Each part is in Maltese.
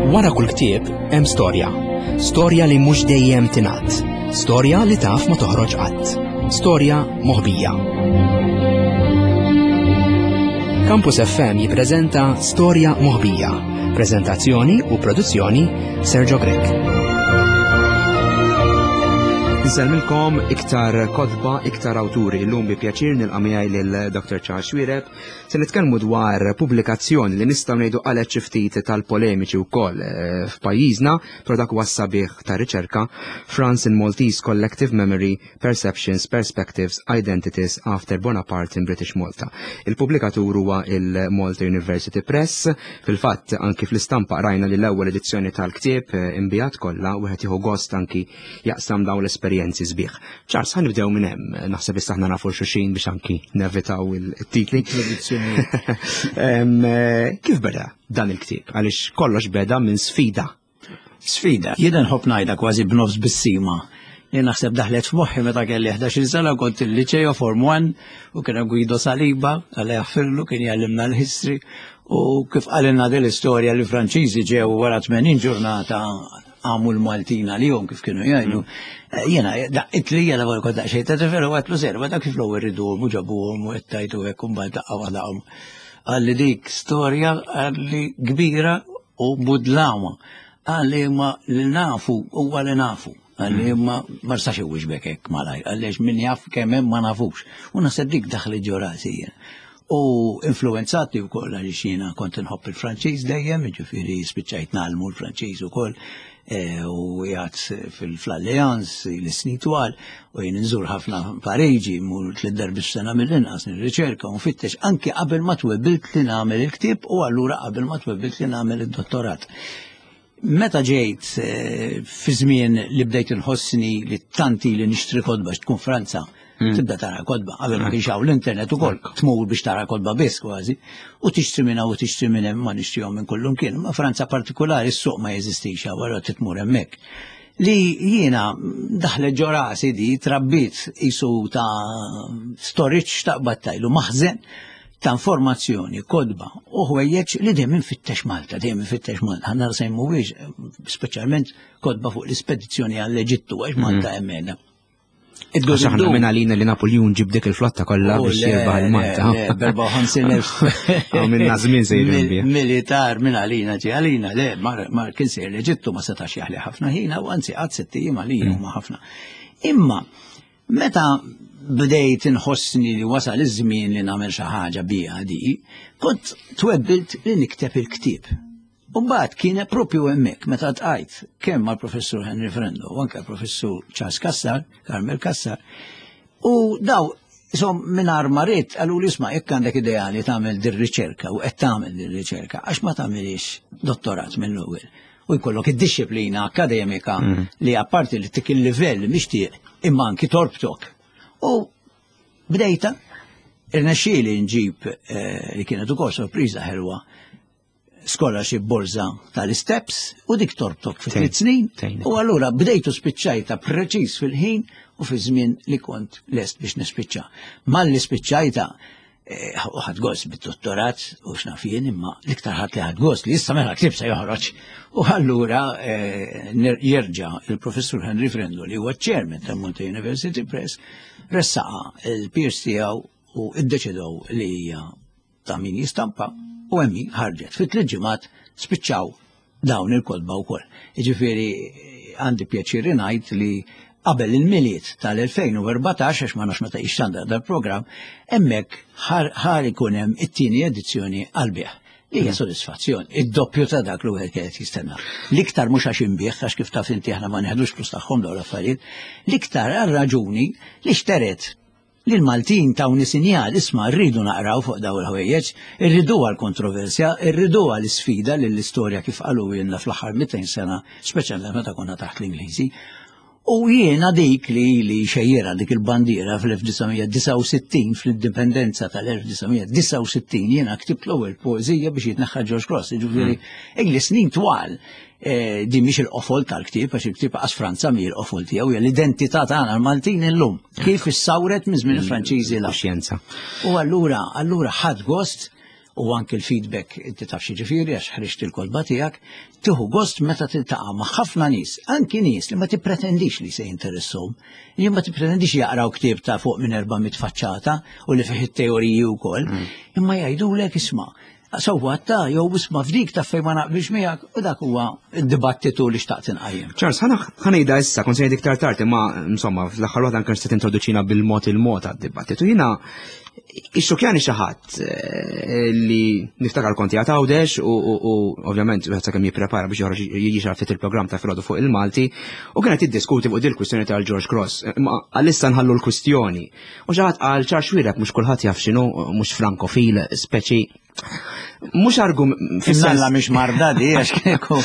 Wara kull ktieb hemm storja. Storja li mhux dejjem tingħad. Storja li taf ma toħroġ qatt. Storja moħbija. Campus FM jippreżenta Storja Moħbija. Preżentazzjoni u produzzjoni Sergio Grech. Nsellmilkom iktar kotba, iktar awturi. Illum bi pjaċir nilqa' miegħi lil Dr. Charles Xuereb Se nitkellmu dwar pubblikazzjoni li nistgħu ngħidu qalet xi ftit tal-polemiċi wkoll eh, f'pajjiżna, però dak huwa sabiħ ta' riċerka France in Maltese Collective Memory, Perceptions, Perspectives, Identities After Bonaparte in British Malta. Il-pubblikatur huwa il-Malta University Press. Fil-fatt anki fl-istampa rajna li l-ewwel edizzjoni tal-ktieb eh, imbijat kollha wieħed jieħu gost anki jaqsam dawn l-esperjenzi sbieħ. Charles, ħan nibdew minn hemm, naħseb issa aħna nafu xulxin biex anki nevitaw il-titli. Eh, kif beda dan il-ktieb? Għaliex kollox beda minn sfida. Sfida. Jiena nħobb ngħidha kważi b'nofs bissima. Jien naħseb daħlet f'moħħi meta kelli 11 sena kont il-liċeo Form 1 u kien Guido Saliba, għal jaħfirlu kien jgħallimna l-history u kif qalilna din l-istorja li Franċiżi ġew wara 80 ġurnata għamu l-Maltin għalihom kif kienu jgħidu. Eh, jiena daqqit li jiena wara kont daqsxejn ta' tifel u għedtlu serva dak kif l-ewwel riduhom u ġabuhom u qed tajtu hekk u mbagħad daqqa waħda Qalli dik storja qalli kbira u budlama. Qalli ma li nafu huwa li nafu. Qalli mm. ma ma nistax iwieġbek hekk malajr, għaliex min jaf kemm hemm ma nafux. U naħseb dik daħlet ġo rasi jien. U influenzatni wkoll għaliex jiena kont inħobb il-Franċiż dejjem, jiġifieri spiċċajt nagħlmu l-Franċiż ukoll e, u jgħat fil-Allianz l-snin twal u jien nżur ħafna Pariġi, mur tliet darbi f'sena mill-inqas nirriċerka u nfittex anke qabel ma twebbilt li nagħmel il-ktieb u allura qabel ma twebbilt li nagħmel id-dottorat. Meta ġejt eh, fi żmien li bdejt inħossni li tanti li nixtri kotba tkun Franza, hmm. tibda tara kotba, qabel ma kienx hawn l-internet ukoll, tmur biex tara kotba biss kważi, u tixtri minn hawn u tixtri minn hemm ma nixtrihom minn kullum kien. Ma Franza partikolari s-suq ma jeżistix hawn, allura titmur hemmhekk. Li jiena daħlet ġo rasi di trabbit isu ta' storage ta' battajlu maħżen ta' informazzjoni, kodba u ħwejjeġ li dejjem infittex Malta, dejjem infittex Malta. Ħanna se mhuwiex speċjalment kodba fuq l-ispedizzjoni għall-Eġittu għax Malta mhm. hemm qiegħda. Għax aħna minn għalina li Napoljun ġib dik il-flotta kollha oh, biex jirbaħ il-Malta. B'54,000. Minna żmien sejrin Militar minn għalina ġi għalina, le, mar kien sejr l-Eġittu ma setax jaħli ħafna ħina u anzi għad sitt ijiem għalina mm. huma ħafna. Imma Meta bdejt inħossni li wasal iż-żmien li nagħmel xi ħaġa biha di, kont twebbilt li nikteb il-ktieb. U mbagħad kien propju hemmhekk meta tqajt kemm mal-professur Henry Frendo u anke professur Charles Kassar, Carmel Kassar, u daw Isom mingħajr ma rrid qalu li isma' jekk għandek idea li tagħmel dir-riċerka u qed tagħmel dir-riċerka għax ma tagħmilix dottorat mill-ewwel u jkollok id-dixxiplina akademika mm. li apparti li tik il-livell mixtieq imma anki torbtok. U bdejta irnexxieli nġib eh, li kienet ukoll sorpriża ħelwa scholarship borza tal-steps u dik torbtok fi tliet snin u allura bdejtu spiċċajta preċiż fil-ħin u fi żmien li kont lest biex nispiċċa. Malli spiċċajta Eh, u ħadd gost bid-dottorat u x'naf jien imma l-iktar ħadd li ħadd gost li issa mela ktib se joħroġ. U allura eh, jerġa' il-professur Henry Frendo li huwa chairman tal-Malta University Press ressaqa il-peers tiegħu u iddeċidew li hija ta' min jistampa u hemm ħarġet. Fit tliet ġimgħat spiċċaw dawn il-kotba wkoll. Jiġifieri għandi pjaċir ngħid li qabel il-Milied tal-2014 għax ma nafx meta jixxandar dal-programm, hemmhekk ħar ikun hemm it-tieni edizzjoni għall-bejgħ. Li hija mm. sodisfazzjon, id-doppju ta' dak li wieħed kienet jistenna. L-iktar mhux għax inbih, għax kif taf inti aħna ma neħdux flus tagħhom dawn l-affarijiet, l-iktar għal raġuni li xteret Li l-Maltin tawni sinjal, isma' rridu naqraw fuq dawn il-ħwejjeġ, irriduha l-kontroversja, irriduha l-isfida lill-istorja kif qalulna fl-aħħar 200 sena, speċjalment meta konna taħt l-Ingliżi. U jiena dik li ili xejjera dik il-bandiera fl-1969, fl-indipendenza tal-1969, jiena ktibt l-ewwel poeżija biex jitneħħa George Cross, jiġifieri hmm. ili snin twal Eh, din mhix il-qofol tal-ktieb, għax il-ktieb qas Franza mi l-qofol tiegħu, hija l-identità tagħna l-Maltin illum, kif issawret minn żmien il-Franċiżi la. Xjenza. U allura, allura ħadd gost. u anki l-feedback inti taf xi ġifieri għax ħriġt il-kotba tiegħek, tieħu gost meta tiltaqa' ma' ħafna nies, anki nies li ma tippretendix li se jinteressahom, li ma tippretendix jaqraw ktieb ta' fuq minn 400 faċċata u li fih it-teoriji wkoll, imma jgħidulek isma' sewwa ta' jew isma' f'dik ta' fejn ma naqbilx miegħek u dak huwa d-dibattitu li xtaqt inqajjem. Charles, ħa ngħidha issa, kont se ngħid iktar tard, imma insomma fl-aħħar waħda anke se tintroduċina bil-mod il-mod għad-dibattitu. Jiena ixxukjani xi ħadd eh, li niftakar konti għad Għawdex u ovvjament wieħed sakemm jipprepara biex joħroġ jiġi ftit il-programm ta' filgħodu fuq il-Malti u kienet tiddiskuti fuq dil-kwistjoni tal-George Cross. Imma għalissa nħallu l-kwistjoni. U xi ħadd qal Charles Xuereb mhux kulħadd jaf x'inhu mhux frankofil speċi mhux argum fis-sens. mhix marda di għax kieku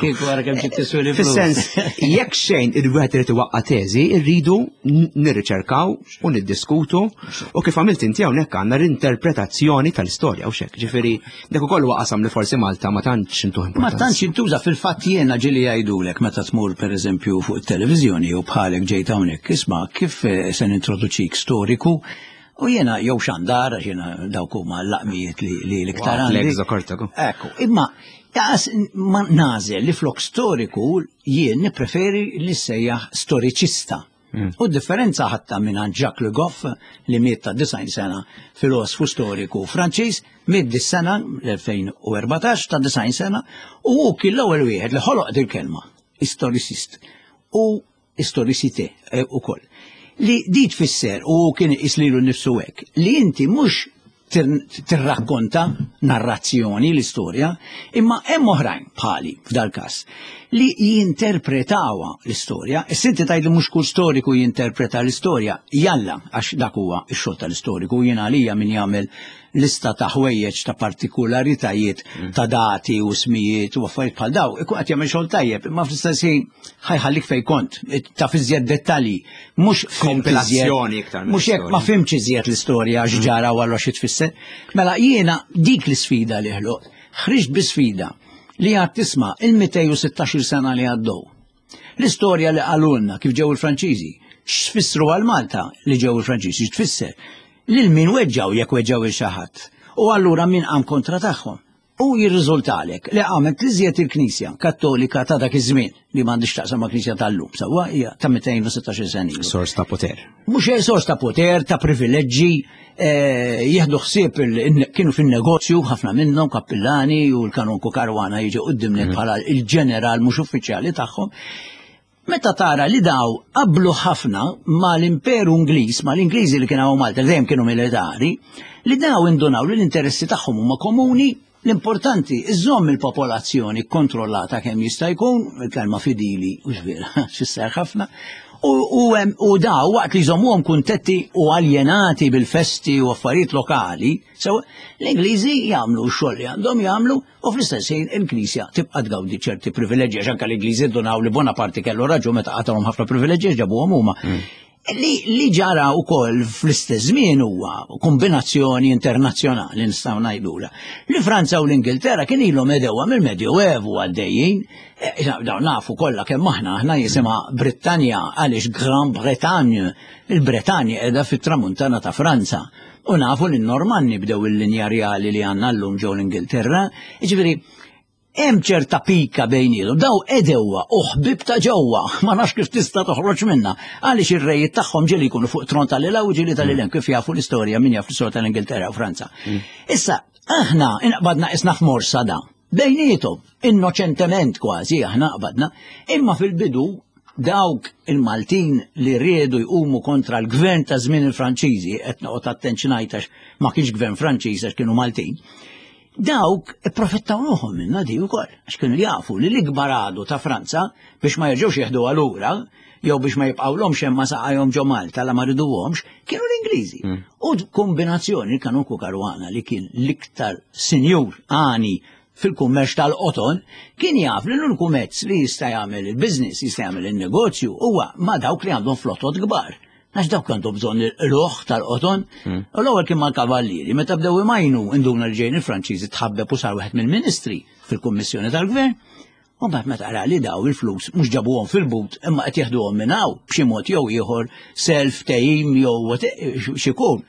kieku għara kemm ġiet tiswili Fis-sens jekk xejn il-wieħed irid iwaqqa' teżi, rridu nirriċerkaw u niddiskutu u kif għamilt inti hawnhekk għandna l-interpretazzjoni tal-istorja u xek. Ġifieri dak ukoll huwa qasam li forsi Malta ma tantx intuh Ma tantx intuża fil-fatt jiena ġieli jgħidulek meta tmur pereżempju fuq it-televiżjoni jew bħalek ġejt hawnhekk isma' kif eh, se nintroduċik storiku U jiena jew xandar, għax jiena dawk huma l-laqmijiet li l-iktar għandi. Ekku, imma jaqas ma nażel li flok storiku jien nippreferi li sejjaħ storiċista. U d-differenza ħatta minn Jacques Le Goff li miet ta' 90 sena filosfu storiku Franċiż, miet dis-sena l-2014 ta' 90 sena u hu kien l-ewwel wieħed li ħoloq dil-kelma, istoricist. U istoricité eh, ukoll. Li di tfisser u kien iqis lilu nnifsu hekk li inti mhux tirrakkonta narrazzjoni l-istorja, imma hemm oħrajn bħali f'dal-każ li jinterpretawha l-istorja. Issa inti tgħid li mhux kull storiku jinterpreta l-istorja, jalla għax dak huwa x-xogħol tal-istoriku jien għalija min jagħmel lista ta' ħwejjeġ ta' partikularitajiet ta' dati u smijiet u affarijiet bħal daw, ikun qed jagħmel xogħol tajjeb, imma fl-istess ħin ħajħallik fejn kont, taf iżjed dettalji, mhux kompilazzjoni iktar. Mhux hekk ma fimx iżjed l-istorja x'ġara u allura xi tfisser. Mela jiena dik l-isfida li ħloq, ħriġt bi sfida li għad tisma' il-216 sena li għaddew. L-istorja li qalulna kif ġew il-Franċiżi, x'fissru għal Malta li ġew il-Franċiżi, x'tfisser? Lil min weġġaw jekk weġġaw il xi ħadd. U allura min qam kontra tagħhom. U jirriżultalek li qamet l-iżjed il-Knisja Kattolika ta' dak iż-żmien li m'għandix taqsam ma' Knisja tal-lum, sewwa hija ta' 216 sena ilu. Sors ta' poter. Mhux sors ta' poter, ta' privileġġi, eh, jieħdu ħsieb kienu fin-negozju ħafna minnhom kappillani u l-kanonku Karwana jiġi quddiem mhm. bħala il-ġeneral mhux uffiċjali tagħhom. Meta tara li daw qablu ħafna mal-Imperu Ingliż, mal-Ingliżi li kienu Malta, dejjem kienu militari, li daw indunaw li l-interessi tagħhom huma komuni, l-importanti iżomm il-popolazzjoni kontrollata kemm jista' jkun, il-kelma fidili u vera, xisser ħafna, u, u, u daw waqt li jżommuhom kuntetti u aljenati bil-festi u affarijiet lokali, so l-Ingliżi jagħmlu x-xogħol li għandhom jagħmlu U fl-istess ħin il-Knisja tibqa' tgawdi ċerti privileġġi għax anke l-Ingliżi dunaw li Bonaparte kellu raġun meta qatalhom ħafna privileġġi ġabuhom huma. Mm. Li, li ġara wkoll fl-istess żmien huwa kombinazzjoni internazzjonali nistgħu ngħidula. Li Franza u l-Ingilterra kien ilhom edewa mill-Medjuevu għaddejjin, e, dawn nafu kollha kemm aħna aħna jisimha Brittanja għaliex Gran Bretagne, il-Bretanja qiegħda fit-tramuntana ta' Franza. U nafu li n-Normanni bdew il-linja rjali li għandna llum ġew l-Ingilterra. Jiġifieri hemm ċerta pika bejniethom, daw edewwa u ħbib ta' ġewwa, ma nafx kif tista' toħroġ minnha. Għaliex ir-rejiet tagħhom ġieli jkunu fuq tron tal-ila u ġieli tal-ilem kif jafu l-istorja min jaf l-istorja tal-Ingilterra u Franza. Mm. Issa, aħna inqbadna isna f'morsa da. Bejniethom, innoċentement kważi aħna qbadna, imma fil-bidu dawk il-Maltin li riedu jqumu kontra l-gvern ta' żmien il-Franċiżi, qed noqgħod attent x'ngħid għax ma kienx gvern Franċiż għax kienu Maltin, dawk ipprofittaw ruħhom minna di wkoll, għax kienu jafu li l-ikbar għadu ta' Franza biex ma jerġgħux jeħdu lura jew biex ma jibqgħulhomx hemm ma saqajhom ġo Malta la ma riduhomx, kienu l-Ingliżi. Mm. U kombinazzjoni Kanuku Karwana li kien l-iktar sinjur għani fil-kummerċ tal-qoton, kien jaf li l-uniku mezz li jista' jagħmel il-business, jista' jagħmel il-negozju huwa ma' dawk li għandhom flotot kbar. Għax dawk għandhom bżonn il-qluħ tal-qoton. Mm. U l-ewwel kien mal-kavallieri, meta bdew imajnu induna li ġejjin il-Franċiżi tħabbeb u sar wieħed mill-ministri fil-kummissjoni tal-gvern. U mbagħad meta ra li daw il-flus mhux ġabuhom fil-but imma qed jeħduhom minn hawn b'xi mod jew ieħor self tejjim jew x'ikun.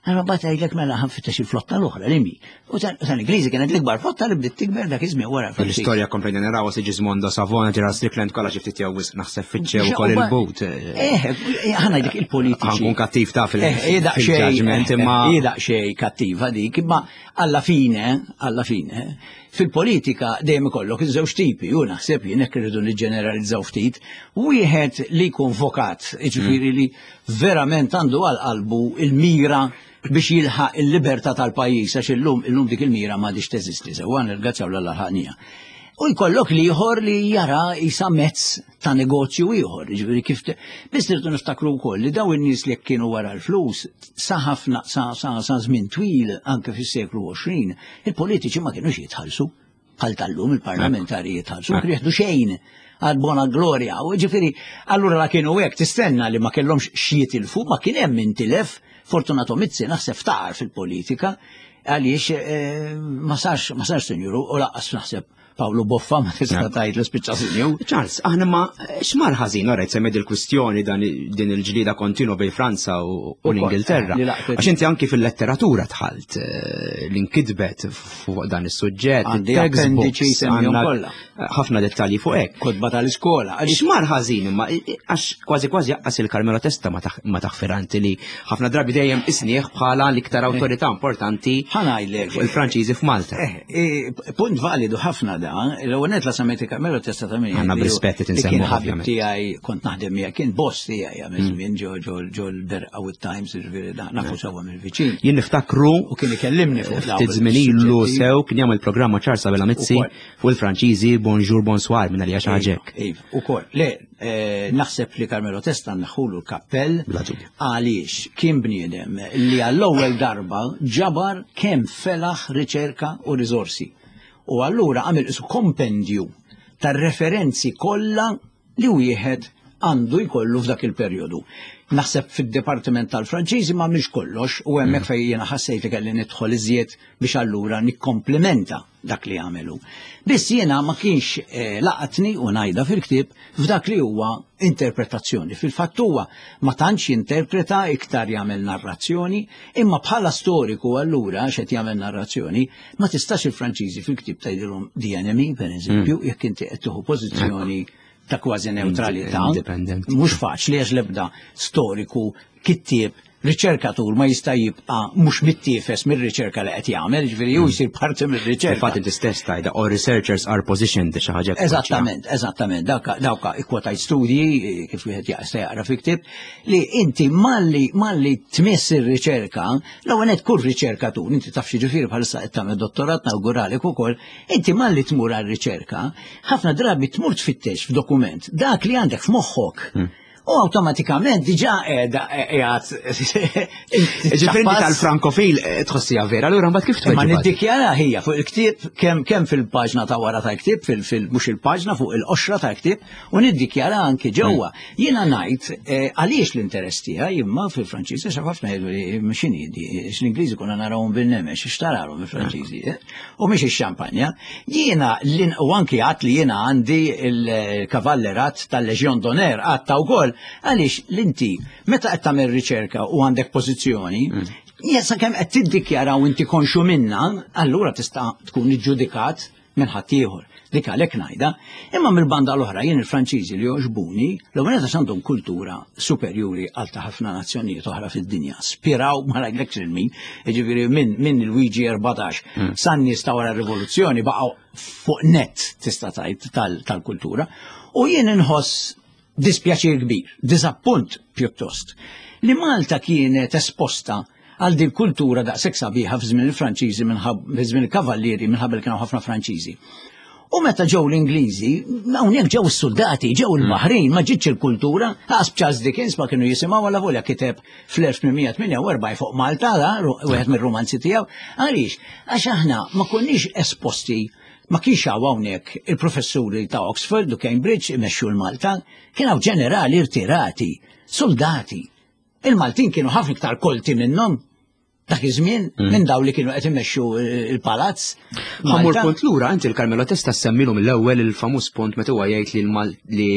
Allora mbagħad jgħidlek mela ħa nfittex il-flotta l-oħra li mi. U tal-Ingliżi kienet l-ikbar flotta li bdiet tikber dak iż-żmien wara. L-istorja komplejna naraw Sigismondo Savona ġera Strickland kollha xi ftit jew wisq naħseb fittxew ukoll il-but. Eh, eh ħa ngħidlek il-politiċi. Ħankun kattiv ta' fil-judgment eh, imma. Daqsxejn kattiva dik, imma alla fine, alla fine, fil-politika dejjem ikollok iż-żewġ tipi, u naħseb jien hekk irridu niġġeneralizzaw ftit, wieħed li jkun vokat, jiġifieri li verament għandu għal qalbu il-mira biex jilħaq il-libertà tal-pajjiż għax illum illum dik il-mira m'għadix teżisti sewwa nirgazzjaw l ħaqnija. U jkollok l-ieħor li jara isa mezz ta' negozju ieħor, jiġifieri kif biss irdu niftakru wkoll li daw in-nies li kienu wara l-flus sa ħafna sa sa sa żmien twil anke fis-seklu 20, il-politiċi ma kienux jitħallsu bħal tal-lum il-parlamentari jitħallsu, ma kienu jieħdu xejn għal bona gloria. U ġifieri, allura la kienu hekk tistenna li ma kellhomx x'jitilfu, ma kien hemm intilef, Fortunato Mizzi naħseb ftaqar fil-politika għaliex eh, ma sarx ma sarx sinjuru u laqqas naħseb Pawlu Boffa ma tista' tgħid li spiċċa sinju. Charles, aħna ma x'mar ħażin orajt semmed il-kwistjoni dan din il-ġlieda kontinwa bejn Franza u l-Ingilterra. Eh, Għax inti anki fil-letteratura dħalt eh, li nkitbet fuq dan is-suġġett, Għandi appendiċi semmihom kollha. ħafna dettalji fuq hekk. Kotba tal-iskola. X'mar ħażin imma għax kważi kważi jaqqas il-Carmelo Testa ma taħfiranti li ħafna drabi dejjem isnieħ bħala l-iktar awtorità importanti Ħanajlek. fuq il-Franċiżi f'Malta. Eh, eh, punt validu ħafna da, l-ewwel net la semmejt il-Carmelo Testa ta' min. Għandna b'rispett qed insemmuh, Kien ħabib ovvjament. tiegħi kont naħdem miegħek, kien boss tiegħi għamil żmien ġo ġo ġo l-Berqa u t-Times, jiġifieri nafu sewwa mill-viċin. Jien niftakru U kien ikellimni fuq dawn ftit żmien ilu is-suġġetti. sew kien jagħmel programma Charles Abela Mizzi Ukoll. fuq il-Franċiżi Bonjour Bonsoir minn għalija xi ħaġa hekk. Iva, ukoll. Le, eh, naħseb li Carmelo Testa naħulu l-kappell Bla dubju. għaliex kien bniedem li għall-ewwel darba ġabar kemm felaħ riċerka u riżorsi. U allura għamel isu kompendju tar-referenzi kollha li wieħed għandu jkollu f'dak il-perjodu. Naħseb fid-Dipartiment tal-Franċiżi ma mhix kollox u hemmhekk fejn jiena ħassejt li kelli nidħol iżjed biex allura nikkomplimenta dak li għamelu. Biss jiena ma kienx eh, laqatni u ngħidha fil-ktieb f'dak li huwa interpretazzjoni. Fil-fatt huwa ma tantx jinterpreta iktar jagħmel narrazzjoni, imma bħala storiku allura x'qed jagħmel narrazzjoni, ma tistax il-Franċiżi fil-ktieb tgħidilhom the enemy, per eżempju, jekk inti qed tieħu pożizzjoni ta' kważi neutralità. Independent. Mhux faċli għax l-ebda storiku, kittieb, riċerkatur ma jista' jibqa' mhux mittiefes mir-riċerka li qed jagħmel, ġifieri hu jsir parti mir-riċerka. Infatti inti stess tajda, all researchers are positioned xi ħaġa hekk. Eżattament, eżattament, dawka dawka ikkwotajt studji eh, kif wieħed jaqsta jaqra fi ktieb li inti malli malli tmiss ir-riċerka, l-ewwel nett kull riċerkatur, inti taf xi ġifieri bħalissa qed tagħmel dottorat nawguralek ukoll, inti malli tmur għar-riċerka, ħafna drabi tmur tfittex f'dokument dak li għandek f'moħħok. U awtomatikament diġà qiegħda qiegħed Ġifieri inti tal-Frankofil eh, tħossija vera, allura mbagħad kif Ma tweġibha? niddikjara hija fuq il-ktieb kemm kemm fil-paġna ta' wara tal-ktieb fil fil mhux il-paġna fuq il-qoxra tal-ktieb u niddikjara anki ġewwa. Jiena ngħid eh, għaliex l-interess tiegħi imma fil-Franċiż għax ħafna jgħidu li x'inhi di, l-Ingliżi konna narawhom bin-nemex, x'tarahom il-Franċiżi, eh? u mhix ix-xampanja. Jiena l- u anki għat li jiena għandi il-kavallerat tal-Legion d'Honneur għatta wkoll għaliex l-inti meta qed tagħmel riċerka u għandek pożizzjoni, mm. sakemm qed tiddikjara u inti konxu minna, allura tista' tkun iġġudikat minn ħaddieħor. Dik għalhekk ngħidha. Imma mill-banda l-oħra jien il-Franċiżi li jogħġbuni, l-ewwel għax għandhom kultura superjuri għal ta' ħafna nazzjonijiet oħra fid-dinja. Spiraw ma ngħidlekx lil min, jiġifieri minn min Luigi 14 mm. san-nies ta' wara r-rivoluzzjoni baqgħu fuq net tista' tgħid tal-kultura. U jien inħoss dispjaċir kbir, diżappunt pjuttost, li Malta kienet esposta għal din kultura daqshekk sabiħa f'żmien il-Franċiżi minħabba żmien il-Kavallieri minħabba li kienu ħafna Franċiżi. U meta ġew l-Ingliżi, hawnhekk ġew is-soldati, ġew il-Baħrin, ma ġietx il-kultura, għas Charles Dickens ma kienu jisimgħu għal volja kiteb fl-1848 fuq Malta, da, wieħed mir-romanzi tiegħu. Għaliex? Għax aħna ma konniex esposti ma kienx hawn hawnhekk il-professuri ta' Oxford u Cambridge imexxu l-Malta, kien hawn ġenerali irtirati, soldati. Il-Maltin kienu ħafna iktar kolti minnhom. Dak iż-żmien mm. minn daw li kienu qed imexxu il-palazz. Ħammur punt lura inti l-Carmelo Testa semmilu mill-ewwel il-famuż punt meta huwa jgħid li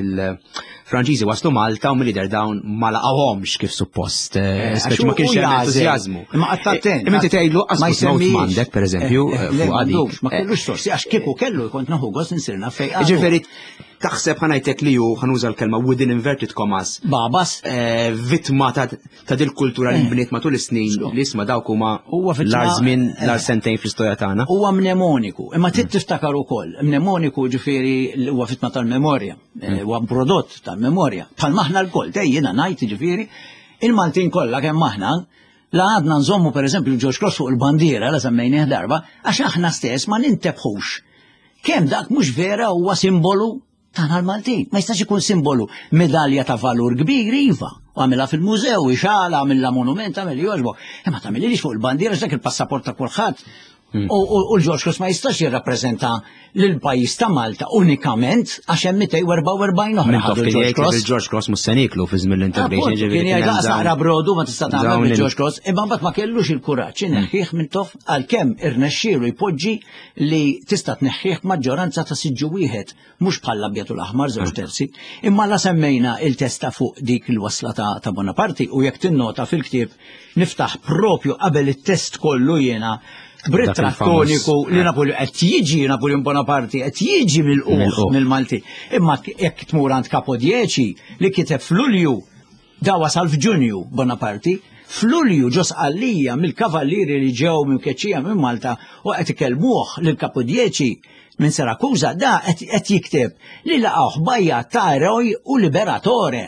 il-Franċiżi waslu Malta u mill-lider dawn ma laqgħuhomx kif suppost. Eh, eh, speċi ma kienx hemm entużjażmu. Imma qatt attent. Imma inti tgħidlu qas ma m'għandek pereżempju eh, fuq għadik. Ma kellux sorsi għax kieku kellu jkont naħu gost insirna fejn. Ġifieri taħseb ħanajtek li hu ħanuża l-kelma within inverted commas. Babas. Vittma ta' ta' dil kultura li eh. nbniet matul is-snin li isma' dawk huma l-ar żmien eh. l-ar sentejn fl-istorja tagħna. Huwa mnemoniku, imma trid mm. tiftakar ukoll. Mnemoniku ġifieri huwa fitma tal-memorja, eh, mm. huwa prodott tal-memorja. Bħal maħna l-koll, dej jiena ngħid ġifieri, il-Maltin kollha kemm aħna la għadna nżommu pereżempju l-George Cross fuq il-bandiera la semmejnieh darba, għax aħna stess ma nintebħux. Kemm dak mhux vera huwa simbolu Tagħna l-Maltin. Ma jistax ikun simbolu. Medalja ta' valur kbir, iva. U għamilha fil-mużew, ixala, għamilha monument, għamil li jogħġbok. Imma tagħmilix fuq il-bandiera dak il-passaport ta' kulħadd. Hmm. U l-George Cross ma jistax jirrappreżenta lil pajjiż ta' Malta unikament għax hemm 244 oħra. Mintoff kien jgħid il-George Cross mhux se nieklu fi żmien l-integration. Kien jgħid daqs naqra brodu ma tista' tagħmel bil-George Cross, imma mbagħad ma kellux il-kuraġġ ineħħih Mintoff għalkemm irnexxielu jpoġġi li tista' tneħħih maġġoranza ta' siġġu wieħed mhux bħal l-abjad u l-aħmar żewġ terzi, imma la semmejna il-testa fuq dik il-wasla ta', ta Bonaparte u jekk tinnota fil-ktieb niftaħ propju qabel it-test kollu jiena b'ritratt toniku li eh. Napoleon qed jiġi Napoleon Bonaparte qed jiġi mill-uħ mill-Malti. Imma jekk tmur għand Capodieci li kiteb f'Lulju Da wasal f'Ġunju Bonaparte, f'Lulju ġo Sqallija mill-kavallieri li ġew mkeċċija minn Malta u qed ikellmuh lil Capodieci minn Sirakuża, da qed jikteb li laqgħuh b'għajjat ta' eroj u liberatore.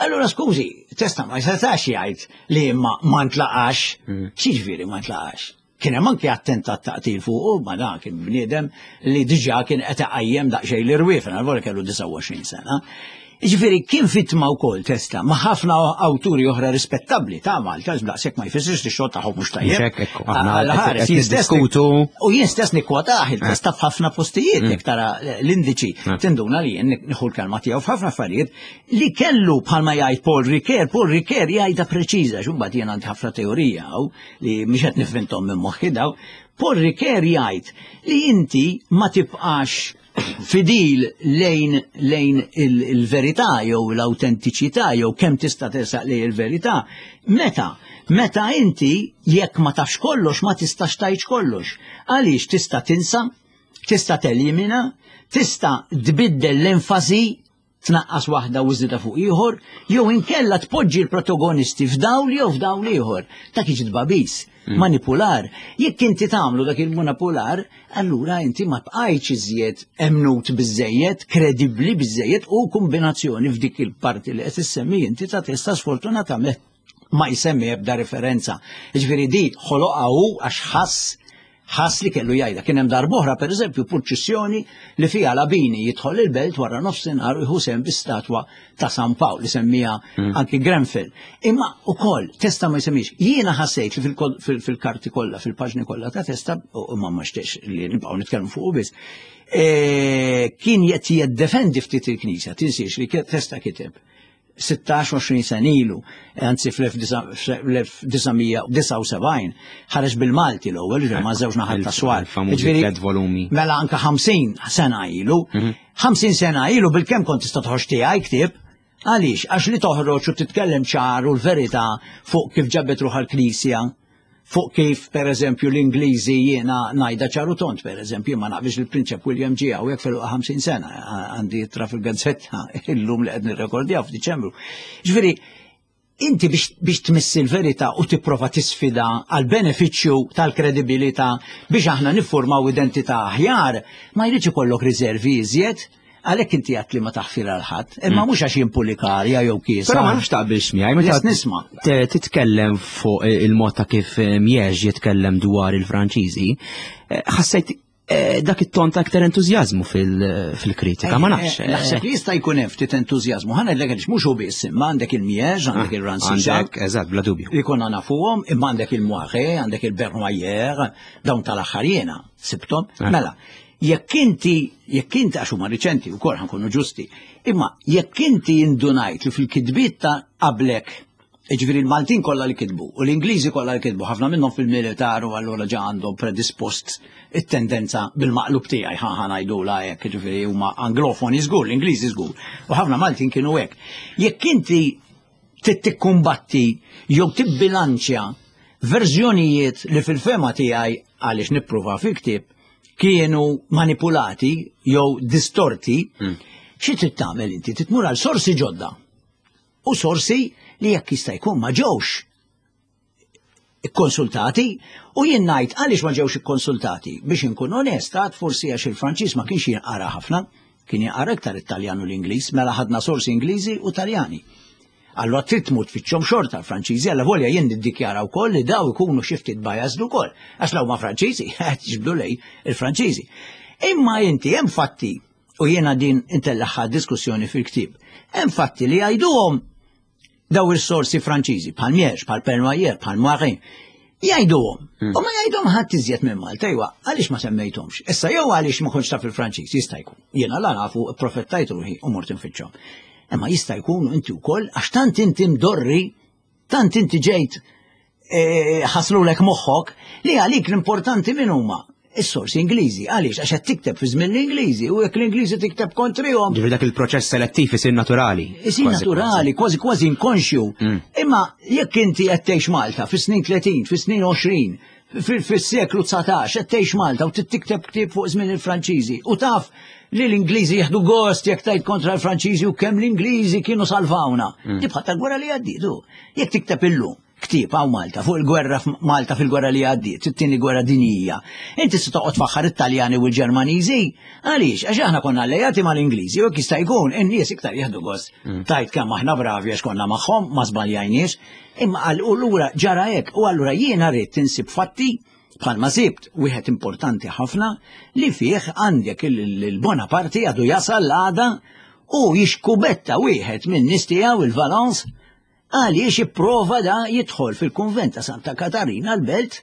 Allura skużi, testa ma setax jgħid li ma ma ntlaqax. Mm. X'jiġifieri ma ntlaqax? Kien hemm anki attentat ta' qtil fuqu, ma dan kien bniedem li diġà kien qed iqajjem daqsxejn l-irwiefen, għal kellu 29 sena. Jiġifieri kien vittma wkoll testa ma' ħafna awturi oħra rispettabbli ta' Malta, daqshekk ma jfissirx li x-xogħol tagħhom mhux tajjeb. Niddiskutu. U jien stess nikkwotah il-testa f'ħafna postijiet mm. jekk tara l-indiċi mm. tinduna li jien nieħu l-kelma tiegħu f'ħafna affarijiet li kellu bħalma jgħid Paul Ricoeur, Paul Ricoeur jgħidha preċiża, x'imbagħad jien għandi ħafna teorija li mhix qed nifvintom minn moħħi daw, Paul Ricoeur jgħid li inti ma tibqax fidil lejn lejn il-verità jew l-awtentiċità jew kemm tista' tersaq lejn il-verità. Meta? Meta inti jekk ma tafx kollox ma tistax tgħid kollox. Għaliex tista' tinsa, tista' telimina, tista' tbiddel l-enfasi tnaqqas waħda u żżidha fuq ieħor, jew inkella tpoġġi l-protagonisti f'dawl jew f'dawl ieħor. Dak jiġi tbabis, mm. manipular. Jekk inti tagħmlu dak il-manipular, allura inti ma tqajtx iżjed emnut biżejjed, kredibbli biżejjed u kombinazzjoni f'dik il-parti li qed issemmi inti ta' testa sfortunatament ma jsemmi ebda referenza. Ġifieri di ħoloqha hu għax ħass ħass li kellu jgħidha. Kien hemm darb'oħra pereżempju purċissjoni li fiha Labini jidħol il-belt wara nofsinhar u jħu sehem bi-statwa ta' San Pawl li semmija mm. anki Grenfell. Imma ukoll testa ma jsemmix. Jiena ħassejt li fil-karti kollha, fil-paġni kollha ta' testa, u ma ma li nibqgħu nitkellmu fuq biss, e, kien qed jiddefendi ftit il-Knisja, tinsiex li testa kiteb 16-20 sena ilu, anzi fl-1979, ħareġ bil-Malti l-ewwel, ġifieri ma' żewġ naħat ta' swar. Ġifieri volumi. Mela anka 50 sena ilu, 50 mhm. sena ilu bil-kemm kont tista' toħroġ tiegħi ktieb, Għaliex? Għax li toħroġ u titkellem ċar u l-verità fuq kif ġabet ruħha l-Knisja, fuq kif per eżempju l-Ingliżi jiena ngħidha ċar u tond per eżempju ma naqbilx li l-Prinċep William ġie hawnhekk fil 50 sena għandi ittra fil-gazzetta illum li qed nirrekordjaw f'Diċembru. Ġifieri inti biex, biex tmissi l-verità u tipprova tisfida għal benefiċċju tal-kredibilità biex aħna niffurmaw identità aħjar, ma jridx ikollok riservi iżjed Għalhekk inti għat li ma taħfir għal ħadd, imma mm. mhux għax jien pulikarja jew kiesa. Però ma nafx taqbilx miegħi meta nisma'. Titkellem fuq il-mod ta' kif eh, Miex jitkellem dwar il-Franċiżi, eh, ħassejt eh, dak it-ton ta' aktar entużjażmu fil-kritika, ma nafx. Naħseb li jista' jkun hemm ftit entużjażmu. Ħa ngħidlek għaliex mhux hu biss, imma għandek il-Miex, għandek ah, il-Rancière. Għandek, eżatt, bla dubju. Li konna nafuhom, imma għandek il-Moire, għandek il-Bernoyer, dawn tal-aħħar jiena sibthom. Ah. Mela, Jekk inti, jekk inti għax huma riċenti wkoll ħankunu ġusti, imma jekk inti indunajt li fil-kitbiet ta' qablek Jiġifieri l-Maltin kollha li kitbu u l-Ingliżi kollha li kitbu, ħafna minnhom fil-militar u allura ġa għandhom predispost it-tendenza bil-maqlub tiegħi ħa ħa ngħidulha hekk, jiġifieri huma anglofoni żgur, l-Ingliżi żgur. U ħafna Maltin kienu hekk. Jekk inti trid tikkumbatti jew tibbilanċja verżjonijiet li fil-fema tiegħi għaliex nippruva fil-ktieb kienu manipulati jew distorti, xi trid tagħmel inti? Trid tmur għal sorsi ġodda u sorsi li jekk jista' jkun ma ġewx ikkonsultati u jien ngħid għaliex ma ġewx ikkonsultati biex inkun onest għad forsi għax il-Franċiż ma kienx jinqara ħafna, kien jinqara iktar it-Taljan u l-Ingliż, mela ħadna sorsi Ingliżi u Taljani. Allura trid tmur tfittxhom xorta l-Franċiżi, alla volja jien niddikjara wkoll li daw ikunu xi ftit biased ukoll, għax law ma Franċiżi, qed jiġbdu lej il-Franċiżi. Imma inti hemm fatti u jiena din intellaħħa diskussjoni fil-ktieb. Hemm fatti li jgħiduhom daw is-sorsi Franċiżi bħal Mierx, bħal Pernoyer, bħal Moirin. Jgħiduhom. Hmm. U ma jgħidhom ħadd iżjed minn Malta, iwa, għaliex ma semmejthomx. Issa jew għaliex ma kontx taf il-Franċiż, jista' jkun. Jiena la nafu profettajt ruħi u mort infittxhom. Imma jista' jkun inti wkoll għax tant inti mdorri Tant inti ġejt eh, ħaslulek moħħok li għalik l-importanti min huma is-sorsi Ingliżi. Għaliex għax qed tikteb fi żmien l-Ingliżi u jekk l-Ingliżi tikteb kontrihom. Ġifieri dak il-proċess selettiv isir naturali. Isir naturali, kważi kważi inkonxju. Mm. Imma jekk inti qed tgħix Malta fis-snin 30, fis-snin 20, fis-seklu 19 qed tgħix Malta u tikteb ktieb fuq żmien il-Franċiżi u taf li l-Ingliżi jieħdu gost jekk tgħid kontra l-Franċiżi u kemm l-Ingliżi kienu salvawna. Mm. Tibqa' tal-gwerra li għaddiet Jekk tikteb illum ktieb hawn Malta fuq il-gwerra Malta fil-gwerra li għaddiet, it-tieni gwerra dinjija. Inti se toqgħod faħħar it-Taljani u l-Ġermaniżi? Għaliex? Għax aħna konna allejati mal-Ingliżi u jekk jista' jkun in-nies iktar jieħdu gost. Mm. Tajt kemm aħna bravi għax konna magħhom, ma żbaljajniex. Imma għal u lura ġara hekk u allura jiena rrid tinsib fatti bħalma sibt wieħed importanti ħafna li fih għandek il-Bonaparte għadu jasal l-għada u jixkubetta wieħed minn nies tiegħu il-Valence għaliex ipprova da jidħol fil-kunvent ta' Santa Katarina l-belt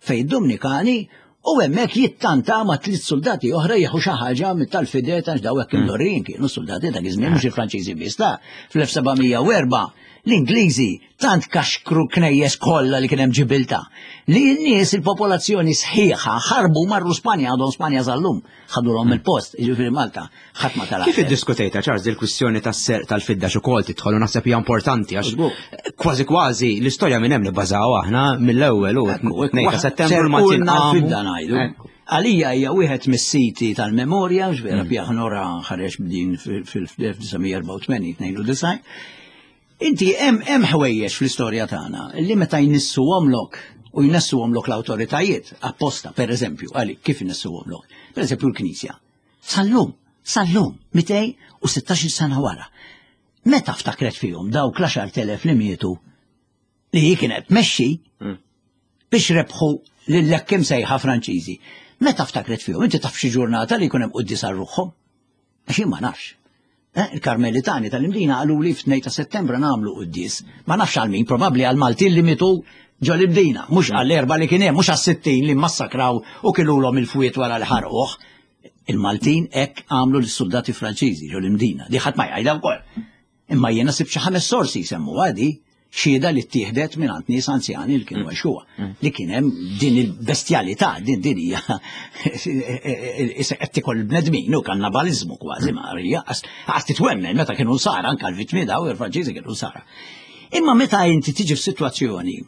fejn Dominikani u hemmhekk jittanta ma' tliet soldati oħra jieħu xi ħaġa mit-tal-fidet għax daw hekk hmm. imdorrijin kienu soldati dak iż-żmien mhux il-Franċiżi biss ta' fl-1704 l-Ingliżi tant kaxkru knejjes kollha li kien hemm ġibilta li n-nies il-popolazzjoni sħiħa ħarbu marru Spanja għadhom Spanja sal-lum ħadulhom il-post, jiġifieri Malta, ħadd ma tara. Kif iddiskutejta Charles il-kwistjoni tas-serq tal-fidda x'ukoll tidħol u naħseb hija importanti għax kważi kważi l-istorja minn hemm nibbażaw aħna mill-ewwel u 2 ta' Settembru l-Maltin fidda ngħidu. Għalija hija wieħed mis-siti tal-memorja, x'vera mm. Pjaħnora ħareġ b'din fil-1984 92. Inti hemm hemm ħwejjeġ fl-istorja tagħna li meta jnissuhomlok u jnessuhomlok l-awtoritajiet apposta, per eżempju, għalik kif jnessuhomlok? Per eżempju l-Knisja. Sal-lum, sal-lum, 216 sena wara. Meta ftakret fihom dawk l-10,000 li mietu li hi kienet tmexxi mm. biex rebħu lil-lekkim sejħa Franċiżi. Meta ftakret fihom, inti taf xi ġurnata li jkun hemm quddies għal ruħhom? Għax jien ma nafx. Eh, il-Karmelitani tal-Imdina qalu li f'2 ta' Settembru nagħmlu quddies. Ma nafx għal min, probabbli għal Maltin li mitu ġo l-Imdina, mhux għall erba li kien hemm, mhux għas-60 li massakraw u kilulhom il-fwiet wara li ħarquh. Il-Maltin hekk għamlu lis-soldati Franċiżi ġo l-Imdina. Di ħadd ma jgħidha wkoll. Imma jiena sibt xi ħames sorsi jsemmu għadi xhieda li ttieħdet minn għand nies anzjani li kienu mm. għexuha, mm. li kien hemm din il-bestjalità, din din hija qed tikol il-bnedmin u kannabaliżmu kważi ma hija għas titwemmen meta kienu nsara anke l-vittmi daw il-Franċiżi kienu nsara. Imma meta inti tiġi f'sitwazzjoni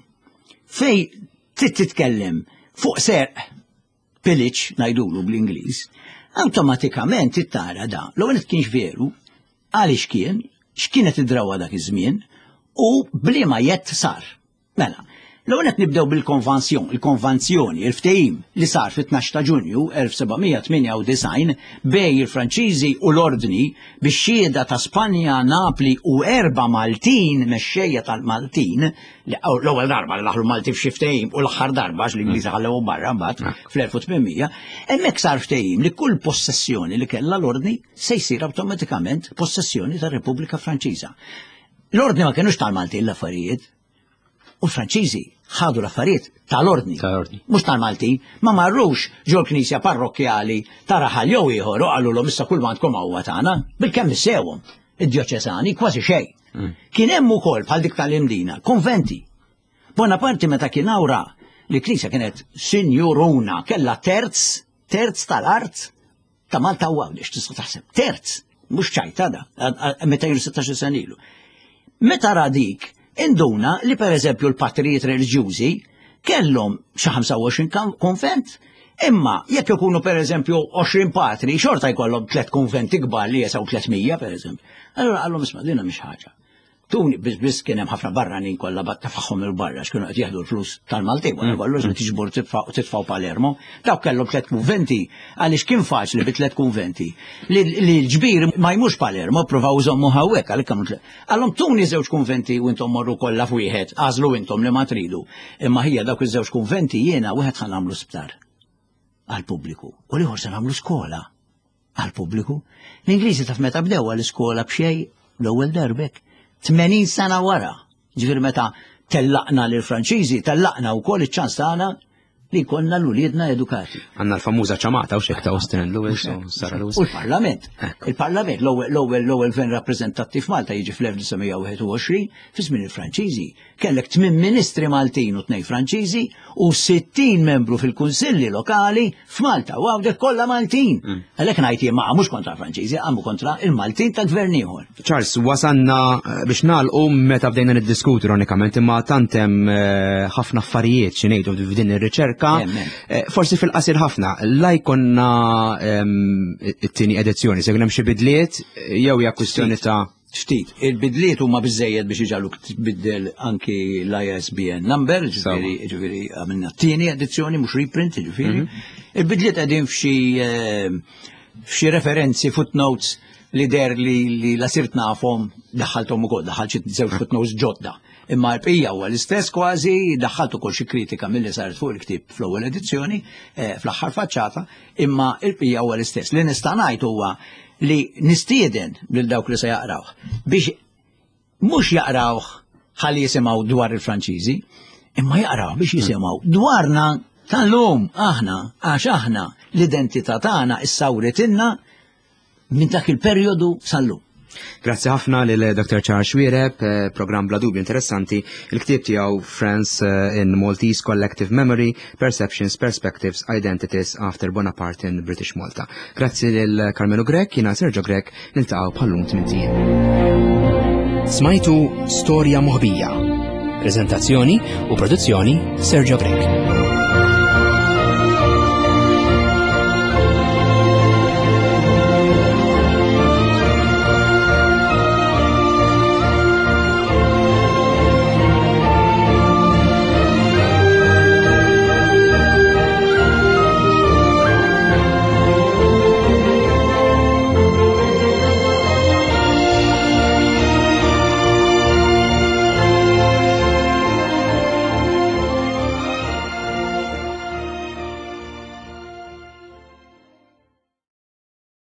fej trid titkellem fuq serq pillage ngħidulu bl-Ingliż, awtomatikament tara da, l-ewwel kienx veru, għaliex kien, x'kienet id-drawwa dak iż-żmien u bliema jett sar. Mela, l-ewwel qed nibdew bil-konvansjon, il-konvanzjoni, il-ftehim li sar fit-12 ta' Ġunju 1798 bej il-Franċiżi u l-Ordni bix-xhieda ta' Spanja, Napli u erba' Maltin, mexxejja tal-Maltin, l-ewwel darba li daħlu Malti f'xi ftehim u l-aħħar darba għax l-Ingliżi ħallewhom barra mbagħad fl-1800, hemmhekk sar ftehim li kull possessjoni li kellha l-Ordni se jsir awtomatikament possessjoni tar-Repubblika Franċiża. L-Ordni ma kienux tal-Maltin l-affarijiet, u l-Franċiżi ħadu l-affarijiet tal-Ordni, mhux tal-Maltin, ma marrux ġol knisja parrokkjali ta' raħal jew ieħor u qalulhom issa kull m'għandkom huwa tagħna, bilkemm issewhom id-djoċesani kważi xejn. Kien hemm ukoll bħal dik tal-Imdina, konventi. Bonaparte meta kien awra li knisja kienet sinjuruna kellha terz, terz tal-art ta' Malta u Għawdex, tista' taħseb, terz, mhux ċajta da, 216 sena ilu. Meta ra dik, induna li pereżempju l-patrijiet reliġjużi kellhom xi 25 konvent, imma jekk ikunu pereżempju 20 patri, xorta jkollhom tliet konventi kbar li jesaw 300 pereżempju. Allura qallhom isma' dina mhix ħaġa. Tuni biss biss kien hemm ħafna barranin kollha bat tafagħhom il barra x'kienu qed jieħdu l-flus tal-Maltin wara mm. kollox li tiġbor titfgħu Palermo. Dawk kellhom tliet kunventi għaliex kien faċli bi tliet kunventi li l-ġbir ma jmux Palermo provaw iżommu hawnhekk għalhekk kienu Għalhom tuni żewġ kunventi u intom morru kollha f'wieħed, għażlu intom li ma tridu. Imma ħija dawk iż-żewġ kunventi jiena wieħed ħa nagħmlu sptar għall-pubbliku u l-ieħor se nagħmlu skola għall-pubbliku. L-Ingliżi taf meta bdew għall-iskola b'xejn l-ewwel darbek. 80 sena wara, ġifieri meta tellaqna lil Franċiżi, tellaqna wkoll iċ-ċans tagħna li jkollna l-uliedna edukati. Għandna l-famuża ċamata u xek ta' Austin and Lewis u Sarah Lewis. U l-Parlament. Il-Parlament, l-ewwel l-ewwel gvern rappreżentattiv Malta jiġi fl-1921 fi żmien il-Franċiżi. Kellek tmien ministri Maltin u tnejn Franċiżi u 60 membru fil-kunsilli lokali f'Malta u għawdek kollha Maltin. Mm. Għalhekk ngħid jien ma mhux kontra Franċiżi, għamu kontra il-Maltin ta' gvern ieħor. Charles, wasanna eh, biex nagħlqu meta bdejna niddiskutu ironikament imma tant hemm eh, ħafna affarijiet xi ngħidu f'din ir-riċerka. Eh, forsi fil-qasir ħafna, la jkollna ehm, it-tieni edizzjoni, se jkun hemm xi bidliet jew hija kwistjoni ta' Ftit, il-bidliet huma biżejjed biex iġaluk tbiddel anki l-ISBN number, ġifieri ġifieri għamilna t-tieni edizzjoni mhux reprint, ġifieri. Mhm. Il-bidliet qegħdin f'xi eh, f'xi referenzi footnotes li der li, li la sirt nafhom daħħalthom ukoll, daħħalt xi żewġ footnotes ġodda. Imma l-bqija huwa l-istess kważi, daħħalt ukoll xi kritika milli saret fuq il-ktieb fl-ewwel edizzjoni, eh, fl-aħħar faċċata, imma l-bqija huwa l-istess. Li nista' ngħid huwa li nistieden lil dawk li se jaqrawh biex mhux jaqrawh ħalli jisimgħu dwar il-Franċiżi, imma jaqrawh biex jisimgħu dwarna tal-lum aħna għax aħna l-identità tagħna issawritilna minn dak il-perjodu sal-lum. Grazzi ħafna lil Dr. Charles Xuereb, eh, programm bla dubju interessanti, il-ktieb tiegħu France eh, in Maltese Collective Memory, Perceptions, Perspectives, Identities After Bonaparte in British Malta. Grazzi lil Carmelo Grech, jiena Sergio Grech, niltaqgħu bħallum tmintijiem. Smajtu Storja Moħbija. Prezentazzjoni u produzzjoni Sergio Grech.